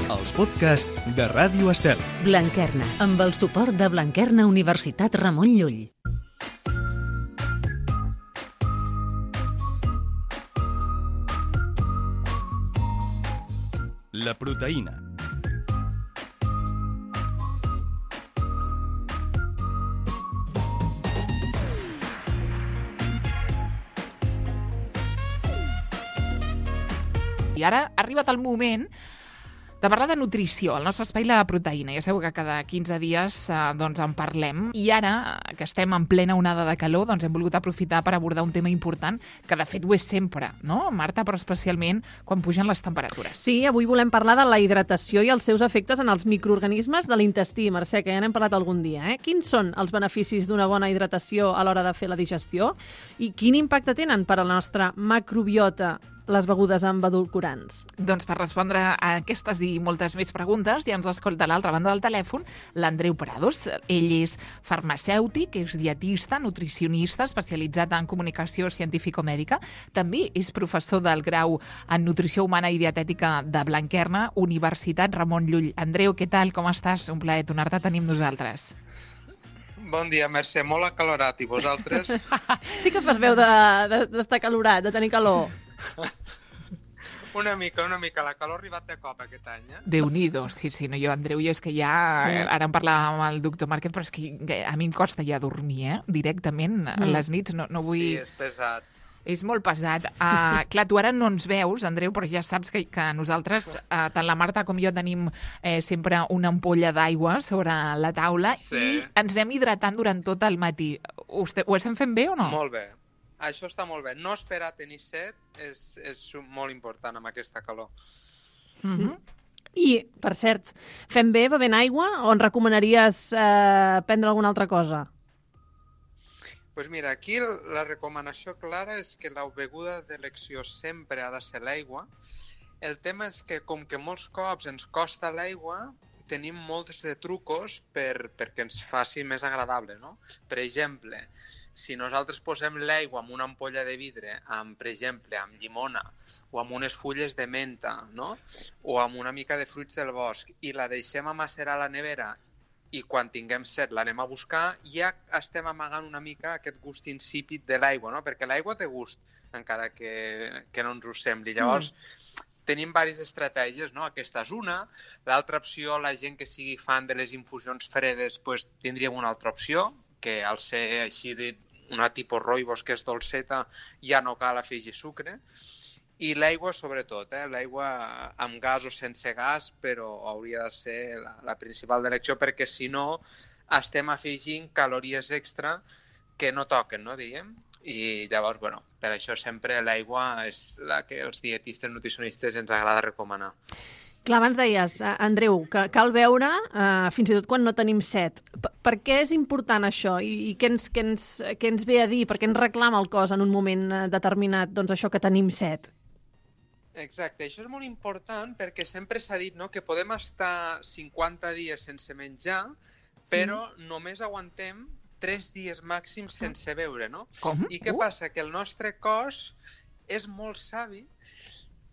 els podcasts de Ràdio Estel. Blanquerna, amb el suport de Blanquerna Universitat Ramon Llull. La proteïna. I ara ha arribat el moment de parlar de nutrició, el nostre espai La Proteïna. Ja sabeu que cada 15 dies en parlem. I ara, que estem en plena onada de calor, hem volgut aprofitar per abordar un tema important, que de fet ho és sempre, no, Marta? Però especialment quan pugen les temperatures. Sí, avui volem parlar de la hidratació i els seus efectes en els microorganismes de l'intestí, Mercè, que ja n'hem parlat algun dia. Quins són els beneficis d'una bona hidratació a l'hora de fer la digestió? I quin impacte tenen per a la nostra macrobiota les begudes amb edulcorants? Doncs per respondre a aquestes i moltes més preguntes ja ens escolta a l'altra banda del telèfon l'Andreu Prados. Ell és farmacèutic, és dietista, nutricionista, especialitzat en comunicació científico-mèdica. També és professor del grau en nutrició humana i dietètica de Blanquerna, Universitat Ramon Llull. Andreu, què tal? Com estàs? Un plaer tornar-te a tenir amb nosaltres. Bon dia, Mercè. Molt acalorat. I vosaltres? Sí que fas veu d'estar acalorat, de tenir calor. Una mica. La calor ha arribat de cop aquest any, Déu-n'hi-do, sí, no, jo, Andreu, és que ja... Sí. Ara en parlàvem amb el doctor Márquez, però és que a mi em costa ja dormir, directament, a les nits, no vull... Sí, és pesat. És molt pesat. Clar, tu ara no ens veus, Andreu, però ja saps que nosaltres, tant la Marta com jo, tenim sempre una ampolla d'aigua sobre la taula i ens anem hidratant durant tot el matí. Ho estem fent bé o no? Molt bé. Això està molt bé. No esperar a tenir set és molt important amb aquesta calor. I, per cert, fem bé bevent aigua o ens recomanaries prendre alguna altra cosa? Doncs mira, aquí la recomanació clara és que la beguda d'elecció sempre ha de ser l'aigua. El tema és que, com que molts cops ens costa l'aigua, tenim molts de trucos perquè ens faci més agradable, no? Per exemple, si nosaltres posem l'aigua en una ampolla de vidre, per exemple, amb llimona o amb unes fulles de menta, no? O amb una mica de fruits del bosc, i la deixem a macerar a la nevera i quan tinguem set l'anem a buscar, ja estem amagant una mica aquest gust insípid de l'aigua, no? Perquè l'aigua té gust, encara que no ens ho sembli. Llavors, tenim diverses estratègies, no? Aquesta és una. L'altra opció, la gent que sigui fan de les infusions fredes, doncs tindríem una altra opció, que al ser així una tipus rooibos, que és dolceta, ja no cal afegir sucre. I l'aigua, sobretot, l'aigua amb gas o sense gas, però hauria de ser la principal d'elecció, perquè si no estem afegint calories extra que no toquen, no, diguem? I llavors, per això sempre l'aigua és la que els dietistes nutricionistes ens agrada recomanar. Clar, abans deies, Andreu, que cal beure fins i tot quan no tenim set. Per què és important això? I què ens ve a dir? Per què ens reclama el cos en un moment determinat això que tenim set? Exacte, això és molt important perquè sempre s'ha dit, no, que podem estar 50 dies sense menjar, però només aguantem 3 dies màxims sense beure, no? Com? I què passa? Que el nostre cos és molt savi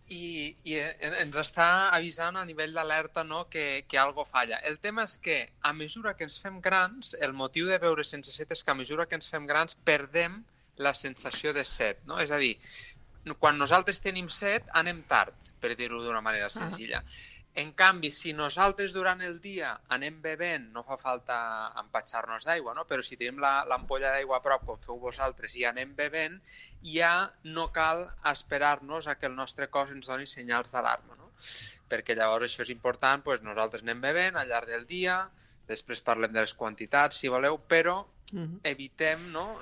i ens està avisant a nivell d'alerta, no, que algo falla. El tema és que a mesura que ens fem grans, el motiu de beure sense set és que a mesura que ens fem grans perdem la sensació de set, no? És a dir, quan nosaltres tenim set anem tard, per dir-ho d'una manera senzilla. En canvi, si nosaltres durant el dia anem bevent, no fa falta empatxar-nos d'aigua, no? Però si tenim l'ampolla d'aigua a prop, com feu vosaltres, i anem bevent, ja no cal esperar-nos a que el nostre cos ens doni senyals d'alarma, no? Perquè llavors això és important, doncs nosaltres anem bevent al llarg del dia, després parlem de les quantitats, si voleu, però evitem, no?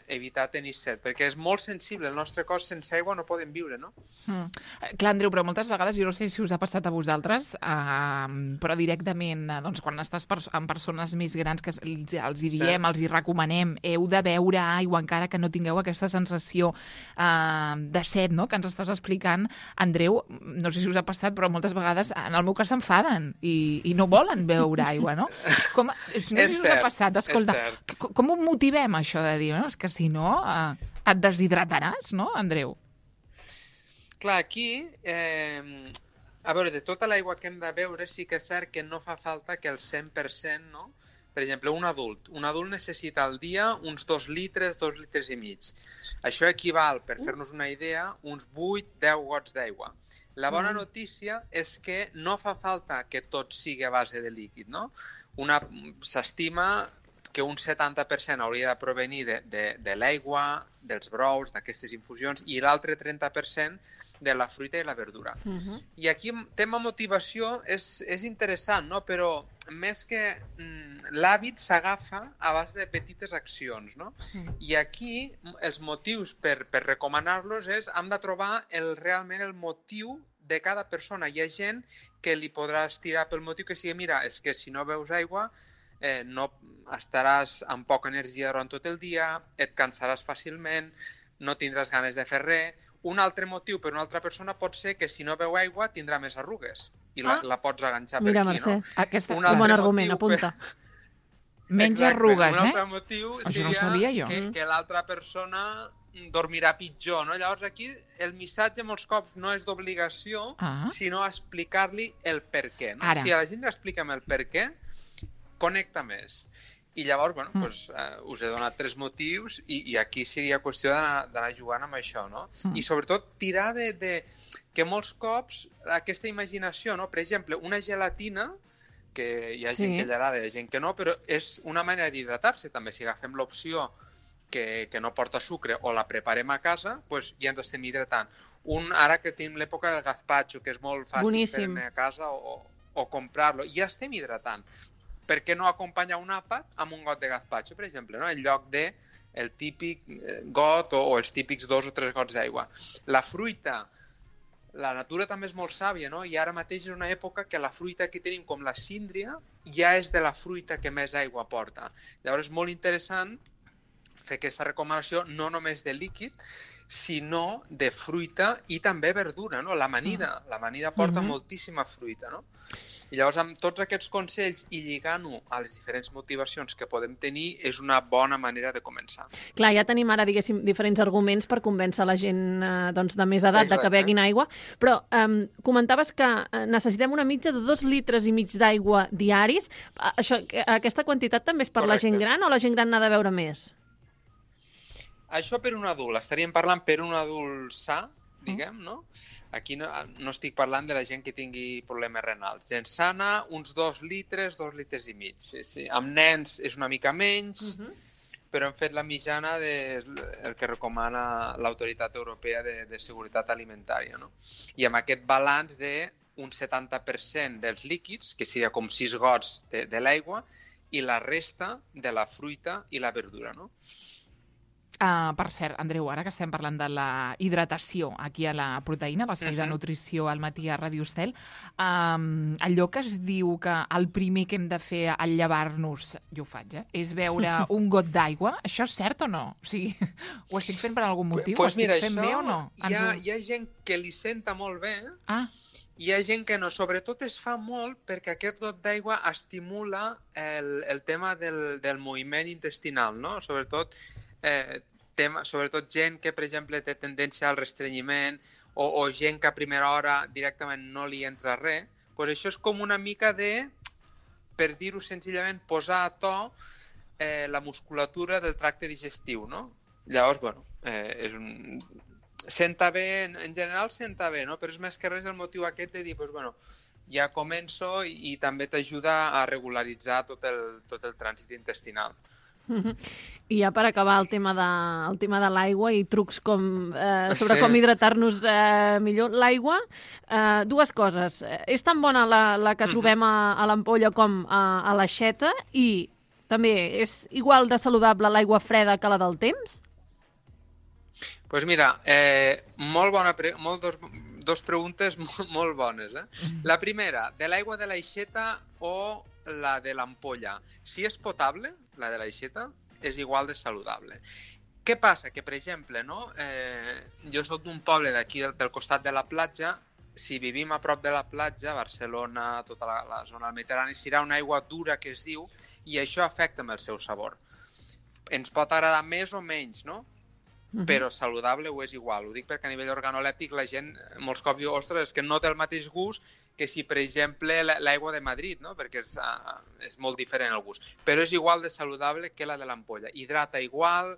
Evitar tenir set, perquè és molt sensible, el nostre cos sense aigua no podem viure, no? Clar, Andreu, però moltes vegades, jo no sé si us ha passat a vosaltres, però directament, quan estàs amb persones més grans que els hi diem, els hi recomanem, heu de beure aigua encara que no tingueu aquesta sensació de set, no?, que ens estàs explicant, Andreu, no sé si us ha passat, però moltes vegades, en el meu cas, s'enfaden i no volen beure aigua, no? No sé si us ha passat, escolta, com ho motivem, això de dir, és que si no et deshidrataràs, no, Andreu? Clar, aquí A veure, de tota l'aigua que hem de beure, sí que és cert que no fa falta que el 100%, no? Per exemple, un adult necessita al dia uns 2 litres, 2 litres i mig. Això equival, per fer-nos una idea, uns 8-10 gots d'aigua. La bona notícia és que no fa falta que tot sigui a base de líquid, no? S'estima que un 70% hauria de provenir de l'aigua, dels brous, d'aquestes infusions, i l'altre 30% de la fruita i la verdura. I aquí el tema motivació és interessant, no? Però més que l'hàbit s'agafa a base de petites accions, no? I aquí els motius per recomanar-los hem de trobar realment el motiu de cada persona. Hi ha gent que li podràs tirar pel motiu que sigui, mira, és que si no beus aigua no estaràs amb poca energia durant tot el dia, et cansaràs fàcilment, no tindràs ganes de fer res. Un altre motiu per una altra persona pot ser que si no beu aigua tindrà més arrugues i la pots aganxar per aquí, Mercè, no? Aquest un bon argument, apunta. Menys arrugues, Un altre motiu seria que l'altra persona dormirà pitjor, no? Llavors aquí el missatge molts cops no és d'obligació, sinó explicar-li el per què, no? Si a la gent li expliquem el per què, connecta més. I llavors, bueno, us he donat 3 motius i aquí seria qüestió d'anar jugant amb això, no? I sobretot tirar de que molts cops aquesta imaginació, no? Per exemple, una gelatina, que hi ha gent que li agrada i hi ha gent que no, però és una manera d'hidratar-se també. Si agafem l'opció que no porta sucre o la preparem a casa, doncs ja ens estem hidratant. Ara que tenim l'època del gazpacho, que és molt fàcil fer-ne a casa o comprar-lo, ja estem hidratant. Per què no acompanyar un àpat amb un got de gazpacho, per exemple, no? En lloc de el típic got o els típics 2 o 3 gots d'aigua. La fruita, la natura també és molt sàvia, no? I ara mateix és una època que la fruita que tenim, com la síndria, ja és de la fruita que més aigua porta. Llavors és molt interessant fer aquesta recomanació no només de líquid, sinó de fruita i també verdura, no? L'amanida porta moltíssima fruita, no? I llavors amb tots aquests consells i lligant-ho a les diferents motivacions que podem tenir és una bona manera de començar. Clar, ja tenim ara, diguéssim, diferents arguments per convèncer la gent de més edat de que beguin aigua, però comentaves que necessitem una mitja de 2 litres i mig d'aigua diaris. Aquesta quantitat també és per la gent gran o la gent gran n'ha de beure més? Això per un adult. Estaríem parlant per un adult sa, diguem, no? Aquí no estic parlant de la gent que tingui problemes renals. Gent sana, uns 2 litres, 2 litres i mig. Sí. Amb nens és una mica menys, però hem fet la mitjana del que recomana l'Autoritat Europea de Seguretat Alimentària, no? I amb aquest balanç d'un 70% dels líquids, que seria com 6 gots de l'aigua, i la resta de la fruita i la verdura, no? Per cert, Andreu, ara que estem parlant de la hidratació aquí a la proteïna, l'espai de nutrició al matí a Ràdio Estel, allò que es diu que el primer que hem de fer al llevar-nos, jo ho faig, és beure un got d'aigua, això és cert o no? O sigui, ho estic fent per algun motiu? Ho estic fent bé o no? Hi ha gent que li senta molt bé, hi ha gent que no. Sobretot es fa molt perquè aquest got d'aigua estimula el tema del moviment intestinal, no? Sobretot gent que, per exemple, té tendència al restrenyiment o gent que a primera hora directament no li entra res, doncs això és com una mica per dir-ho senzillament, posar a to la musculatura del tracte digestiu, no? Llavors, bueno, senta bé, en general senta bé, no? Però és més que res el motiu aquest de dir, doncs, bueno, ja començo i també t'ajuda a regularitzar tot el trànsit intestinal. I ja per acabar el tema de l'aigua i trucs sobre com hidratar-nos millor. L'aigua, 2 coses. És tan bona la que trobem a l'ampolla com a l'aixeta i també és igual de saludable l'aigua freda que la del temps? Doncs mira, dos preguntes molt bones. La primera, de l'aigua de l'aixeta o la de l'ampolla. Si és potable, la de l'aixeta, és igual de saludable. Què passa? Que, per exemple, jo soc d'un poble d'aquí del costat de la platja, si vivim a prop de la platja, Barcelona, tota la zona del Mediterrani, serà una aigua dura que es diu, i això afecta amb el seu sabor. Ens pot agradar més o menys, no? però saludable ho és igual. Ho dic perquè a nivell organolèptic la gent molts cops diu, ostres, és que no té el mateix gust que si, per exemple, l'aigua de Madrid, no? Perquè és molt diferent el gust. Però és igual de saludable que la de l'ampolla. Hidrata igual,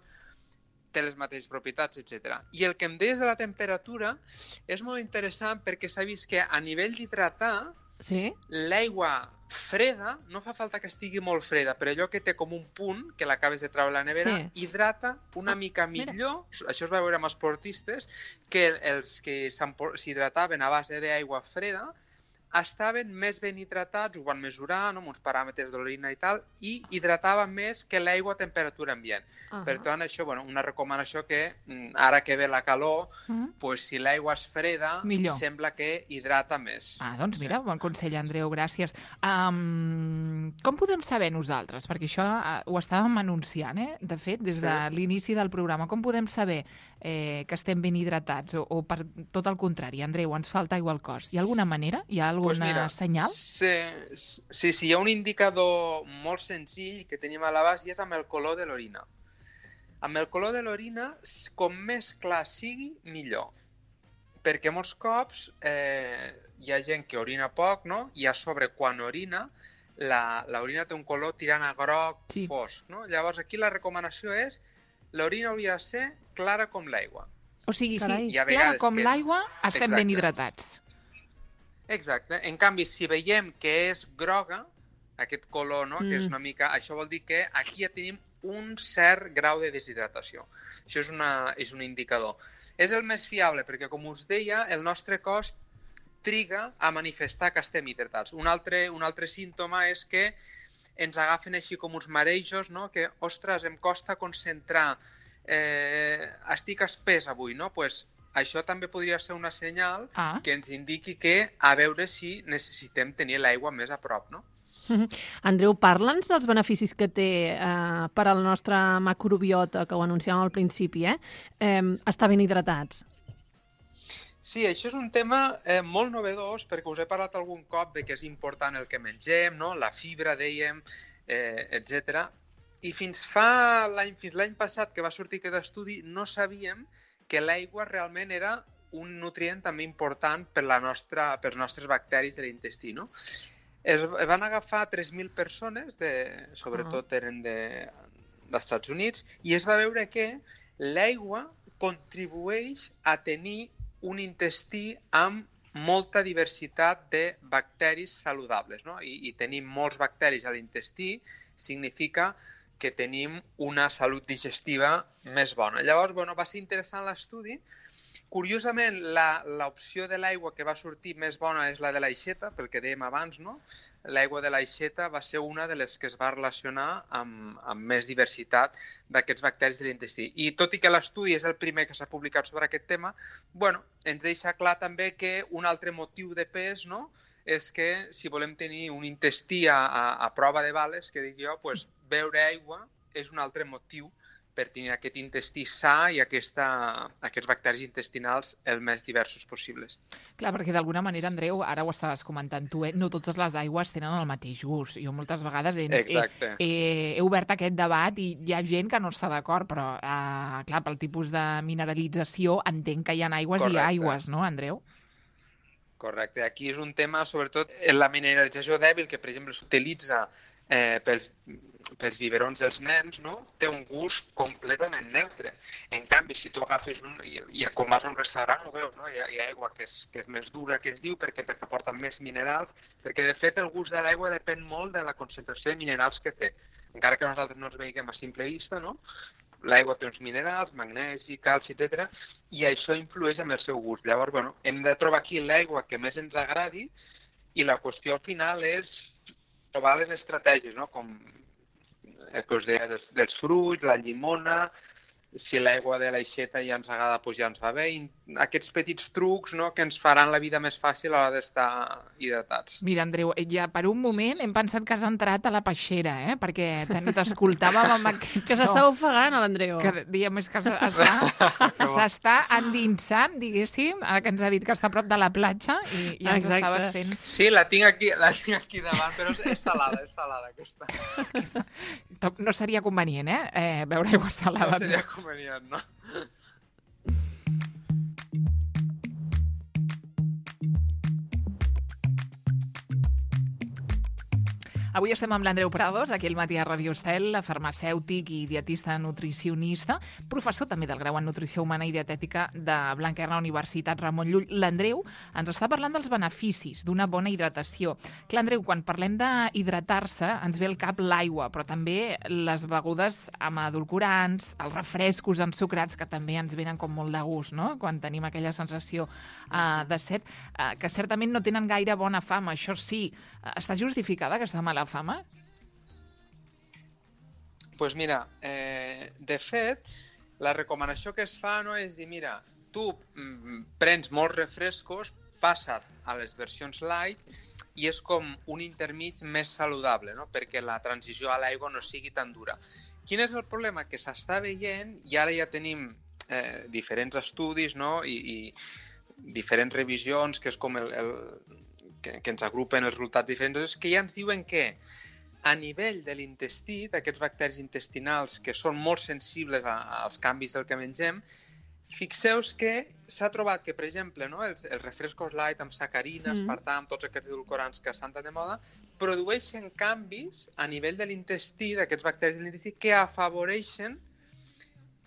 té les mateixes propietats, etc. I el que em deies de la temperatura és molt interessant perquè s'ha vist que a nivell d'hidratar, l'aigua freda, no fa falta que estigui molt freda, però allò que té com un punt, que l'acabes de treure a la nevera, hidrata una mica millor, això es va veure amb esportistes, que els que s'hidrataven a base d'aigua freda estaven més ben hidratats, ho van mesurar, no, amb uns paràmetres d'orina i tal, i hidrataven més que l'aigua a temperatura ambient. Per tant, això, bueno, una recomanació que ara que ve la calor, pues, si l'aigua és freda, sembla que hidrata més. Doncs mira, bon consell, Andreu, gràcies. Com podem saber nosaltres? Perquè això ho estàvem anunciant, de fet, des de l'inici del programa. Com podem saber que estem ben hidratats? O per tot el contrari, Andreu, ens falta aigua al cos. Hi ha alguna manera? Hi ha alguna senyal? Sí, hi ha un indicador molt senzill que tenim a l'abast i és amb el color de l'orina. Amb el color de l'orina, com més clar sigui, millor. Perquè molts cops hi ha gent que orina poc, no? I a sobre, quan orina, l'orina té un color tirant a groc fosc, no? Llavors, aquí la recomanació és l'orina hauria de ser clara com l'aigua. O sigui, si clara com l'aigua, estem ben hidratats. Exacte. En canvi, si veiem que és groga, aquest color, no? Que és una mica... Això vol dir que aquí ja tenim un cert grau de deshidratació. Això és un indicador. És el més fiable perquè, com us deia, el nostre cos triga a manifestar que estem hidratats. Un altre símptoma és que ens agafen així com uns marejos, no? Que, ostres, em costa concentrar, estic espès avui, no? Pues això també podria ser una senyal que ens indiqui que a veure si necessitem tenir l'aigua més a prop, no? Andreu, parla'ns dels beneficis que té per al nostre macrobiota, que ho anunciàvem al principi, estar ben hidratats. Sí, això és un tema molt novedós, perquè us he parlat algun cop de que és important el que mengem, no? La fibra, dèiem, etc. I fins l'any passat que va sortir aquest estudi no sabíem que l'aigua realment era un nutrient també important per pels nostres bacteris de l'intestí, no? Es van agafar 3.000 persones, sobretot eren dels Estats Units, i es va veure que l'aigua contribueix a tenir un intestí amb molta diversitat de bacteris saludables, no? I tenim molts bacteris a l'intestí significa que tenim una salut digestiva més bona. Llavors, va ser interessant l'estudi. Curiosament, l'opció de l'aigua que va sortir més bona és la de l'aixeta, pel que dèiem abans, no? L'aigua de l'aixeta va ser una de les que es va relacionar amb més diversitat d'aquests bacteris de l'intestí. I tot i que l'estudi és el primer que s'ha publicat sobre aquest tema, ens deixa clar també que un altre motiu de pes, no?, és que si volem tenir un intestí a prova de bales, que dic jo, beure aigua és un altre motiu per tenir aquest intestí sa i aquests bacteris intestinals el més diversos possibles. Clar, perquè d'alguna manera, Andreu, ara ho estaves comentant tu, no totes les aigües tenen el mateix gust. Jo moltes vegades he obert aquest debat i hi ha gent que no està d'acord, però, clar, pel tipus de mineralització entenc que hi ha aigües i aigües, no, Andreu? Correcte. Aquí és un tema, sobretot, la mineralització dèbil, que, per exemple, s'utilitza pels biberons dels nens, no? Té un gust completament neutre. En canvi, si tu agafes i com vas a un restaurant, ho veus, no? Hi ha aigua que és més dura, que es diu, perquè porta més minerals, perquè, de fet, el gust de l'aigua depèn molt de la concentració de minerals que té. Encara que nosaltres no els veiem a simple vista, no? L'aigua té uns minerals, magnesi, calci, etc. I això influeix en el seu gust. Llavors, hem de trobar aquí l'aigua que més ens agradi i la qüestió al final és trobar les estratègies, no? Com el que us deia dels fruits, la llimona, si l'aigua de l'aixeta ja ens agrada, doncs ja ens va bé. I aquests petits trucs, no?, que ens faran la vida més fàcil a l'hora d'estar hidratats. Mira, Andreu, ja per un moment hem pensat que has entrat a la peixera, perquè t'escoltàvem amb aquest so. Que s'està ofegant, l'Andreu. Que diguem, és que s'està endinsant, diguéssim, ara que ens ha dit que està a prop de la platja i ja ens estaves fent... Sí, la tinc aquí davant, però és salada aquesta. No seria convenient, beure aigua salada. No seria convenient, no? Avui estem amb l'Andreu Prados, aquí al matí a Radio Estel, farmacèutic i dietista nutricionista, professor també del grau en Nutrició Humana i Dietètica de Blanquerna, Universitat Ramon Llull. L'Andreu ens està parlant dels beneficis d'una bona hidratació. Clar, Andreu, quan parlem d'hidratar-se ens ve al cap l'aigua, però també les begudes amb edulcorants, els refrescos ensucrats, que també ens venen com molt de gust, no?, quan tenim aquella sensació de set, que certament no tenen gaire bona fama. Això sí, està justificada aquesta mala fama? Pues mira, de fet, la recomanació que es fa, no, és dir, mira, tu prens molts refrescos, passa't a les versions light i és com un intermig més saludable, no?, perquè la transició a l'aigua no sigui tan dura. Quin és el problema? Que s'està veient, i ara ja tenim diferents estudis, no?, i diferents revisions, que és com que ens agrupen els resultats diferents, que ja ens diuen que a nivell de l'intestí, d'aquests bacteris intestinals que són molt sensibles als canvis del que mengem, fixeu-vos que s'ha trobat que, per exemple, no, els refrescos light amb sacarina, aspartam, tots aquests edulcorants que estan tan de moda, produeixen canvis a nivell de l'intestí, d'aquests bacteris de l'intestí, que afavoreixen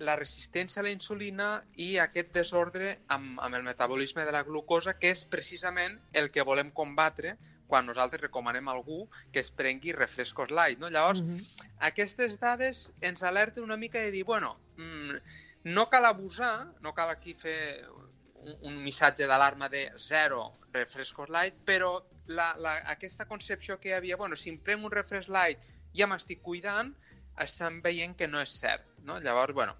la resistència a la insulina i aquest desordre amb el metabolisme de la glucosa, que és precisament el que volem combatre quan nosaltres recomanem a algú que es prengui refrescos light, no? Llavors, aquestes dades ens alerten una mica de dir, bueno, no cal abusar, no cal aquí fer un missatge d'alarma de 0 refrescos light, però aquesta concepció que hi havia, bueno, si em prenc un refresc light ja m'estic cuidant, estan veient que no és cert, no? Llavors, bueno,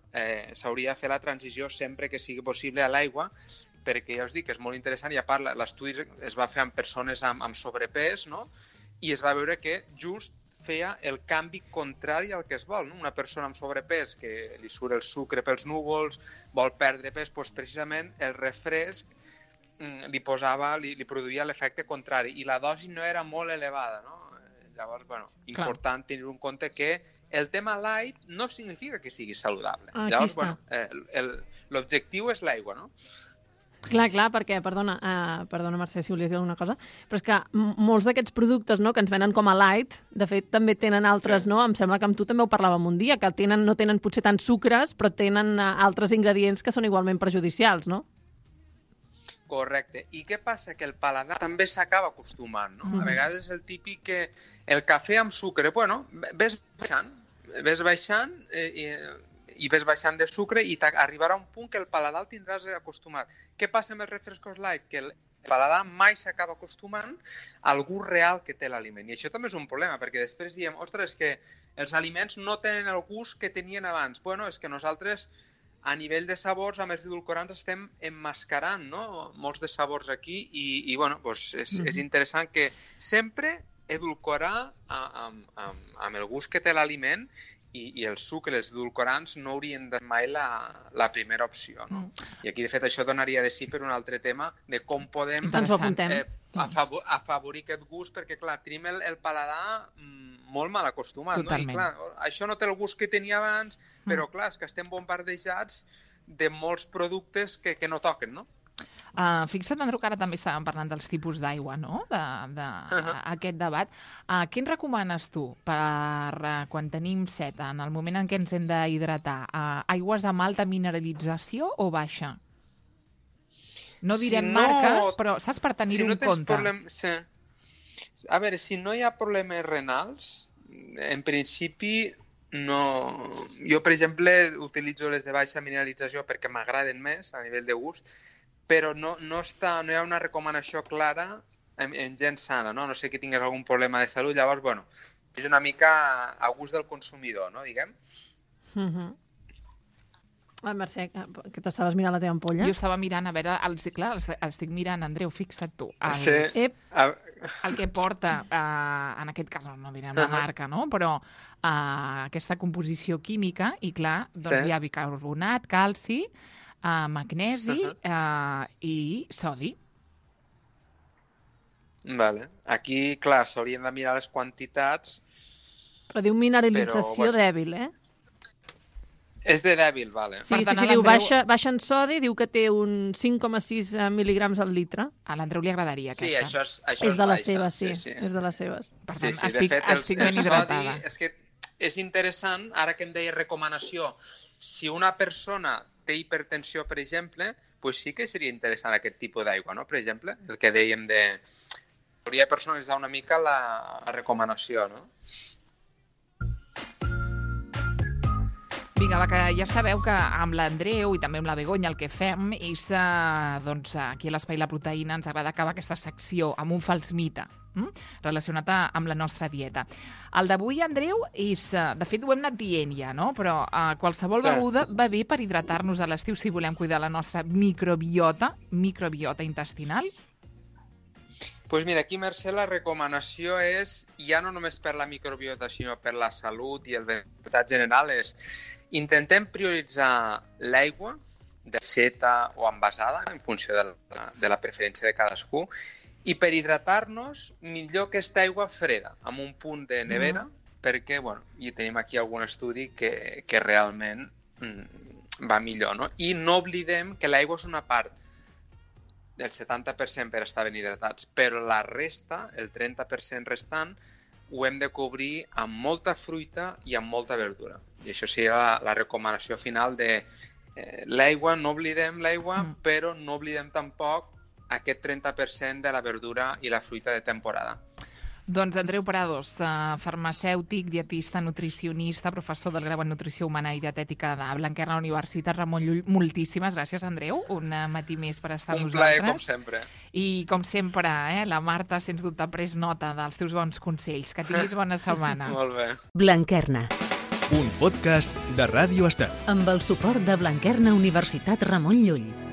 s'hauria de fer la transició sempre que sigui possible a l'aigua, perquè ja us dic que és molt interessant, i a part l'estudi es va fer amb persones amb sobrepès, no?, i es va veure que just feia el canvi contrari al que es vol, no? Una persona amb sobrepès que li surt el sucre pels núvols, vol perdre pes, doncs precisament el refresc li produïa l'efecte contrari, i la dosi no era molt elevada, no? Llavors, bueno, important tenir en compte que el tema light no significa que sigui saludable. Llavors, bueno, l'objectiu és l'aigua, no? Clar, perquè, perdona, Mercè, si volies dir alguna cosa, però és que molts d'aquests productes, no, que ens venen com a light, de fet, també tenen altres, no? Em sembla que amb tu també ho parlàvem un dia, que no tenen potser tant sucres, però tenen altres ingredients que són igualment perjudicials, no? Correcte. I què passa? Que el paladar també s'acaba acostumant, no? A vegades és el típic que el cafè amb sucre, bueno, ves baixant i ves baixant de sucre i arribarà un punt que el paladar el tindràs acostumat. Què passa amb els refrescos light? Que el paladar mai s'acaba acostumant al gust real que té l'aliment. I això també és un problema, perquè després diem, ostres, que els aliments no tenen el gust que tenien abans. Bueno, és que nosaltres, a nivell de sabors, amb els edulcorants estem emmascarant, no?, molts de sabors aquí, i bueno, doncs és interessant que sempre edulcorar amb el gust que té l'aliment, i el sucre, els edulcorants, no haurien de ser mai la primera opció, no? I aquí, de fet, això donaria de sí per un altre tema de com podem afavorir aquest gust, perquè, clar, tenim el paladar molt mal acostumat, no? I, clar, això no té el gust que tenia abans, però, clar, és que estem bombardejats de molts productes que no toquen, no? Fixa't, Andreu, que ara també estàvem parlant dels tipus d'aigua, no?, d'aquest debat. Què ens recomanes tu per quan tenim set, en el moment en què ens hem d'hidratar? Aigües amb alta mineralització o baixa? No direm marques, però saps, per tenir-ho en compte. A veure, si no hi ha problemes renals, en principi no. Jo, per exemple, utilitzo les de baixa mineralització perquè m'agraden més a nivell de gust, però no hi ha una recomanació clara en gent sana, no? No sé que tingués algun problema de salut, llavors, bueno, és una mica a gust del consumidor, no?, diguem. Mercè, que t'estaves mirant la teva ampolla? Jo estava mirant, a veure, clar, estic mirant, Andreu, fixa't tu, el que porta, en aquest cas no direm la marca, no?, però aquesta composició química, i clar, doncs hi ha bicarbonat, calci, magnesi i sodi. Vale. Aquí, clar, s'haurien de mirar les quantitats. Però diu mineralització dèbil, eh? És de dèbil, vale. Sí, diu baixa en sodi, diu que té un 5,6 mil·ligrams al litre. A l'Andreu li agradaria, aquesta. Sí, això és de les seves, sí. És de les seves. Per tant, de fet, estic ben hidratada. És que és interessant, ara que em deia recomanació, si una persona té hipertensió, per exemple, pues sí que seria interessant aquest tipus d'aigua, no? Per exemple, el que dèiem de... Hauria de personalitzar una mica la recomanació, no? Vinga, va, que ja sabeu que amb l'Andreu i també amb la Begoña el que fem és, doncs, aquí a l'Espai La Proteïna ens agrada acabar aquesta secció amb un fals mite relacionat amb la nostra dieta. El d'avui, Andreu, és... De fet, ho hem anat dient ja, no? Però qualsevol beguda va bé per hidratar-nos a l'estiu si volem cuidar la nostra microbiota intestinal. Doncs mira, aquí, Mercè, la recomanació és, ja no només per la microbiota, sinó per la salut i el benestar general, és intentem prioritzar l'aigua deseta o envasada, en funció de la preferència de cadascú, i per hidratar-nos, millor aquesta aigua freda, amb un punt de nevera, perquè, bueno, i tenim aquí algun estudi que realment va millor, no? I no oblidem que l'aigua és una part del 70% per estar ben hidratats, però la resta, el 30% restant, ho hem de cobrir amb molta fruita i amb molta verdura. I això seria la recomanació final de l'aigua, no oblidem l'aigua, però no oblidem tampoc aquest 30% de la verdura i la fruita de temporada. Doncs Andreu Prados, farmacèutic, dietista, nutricionista, professor del grau en Nutrició Humana i Dietètica de Blanquerna Universitat Ramon Llull. Moltíssimes gràcies, Andreu. Un matí més per estar amb nosaltres. Un plaer, com sempre. I, com sempre, la Marta, sens dubte, ha pres nota dels teus bons consells. Que tinguis bona setmana. Molt bé. Blanquerna. Un podcast de Ràdio Estel. Amb el suport de Blanquerna Universitat Ramon Llull.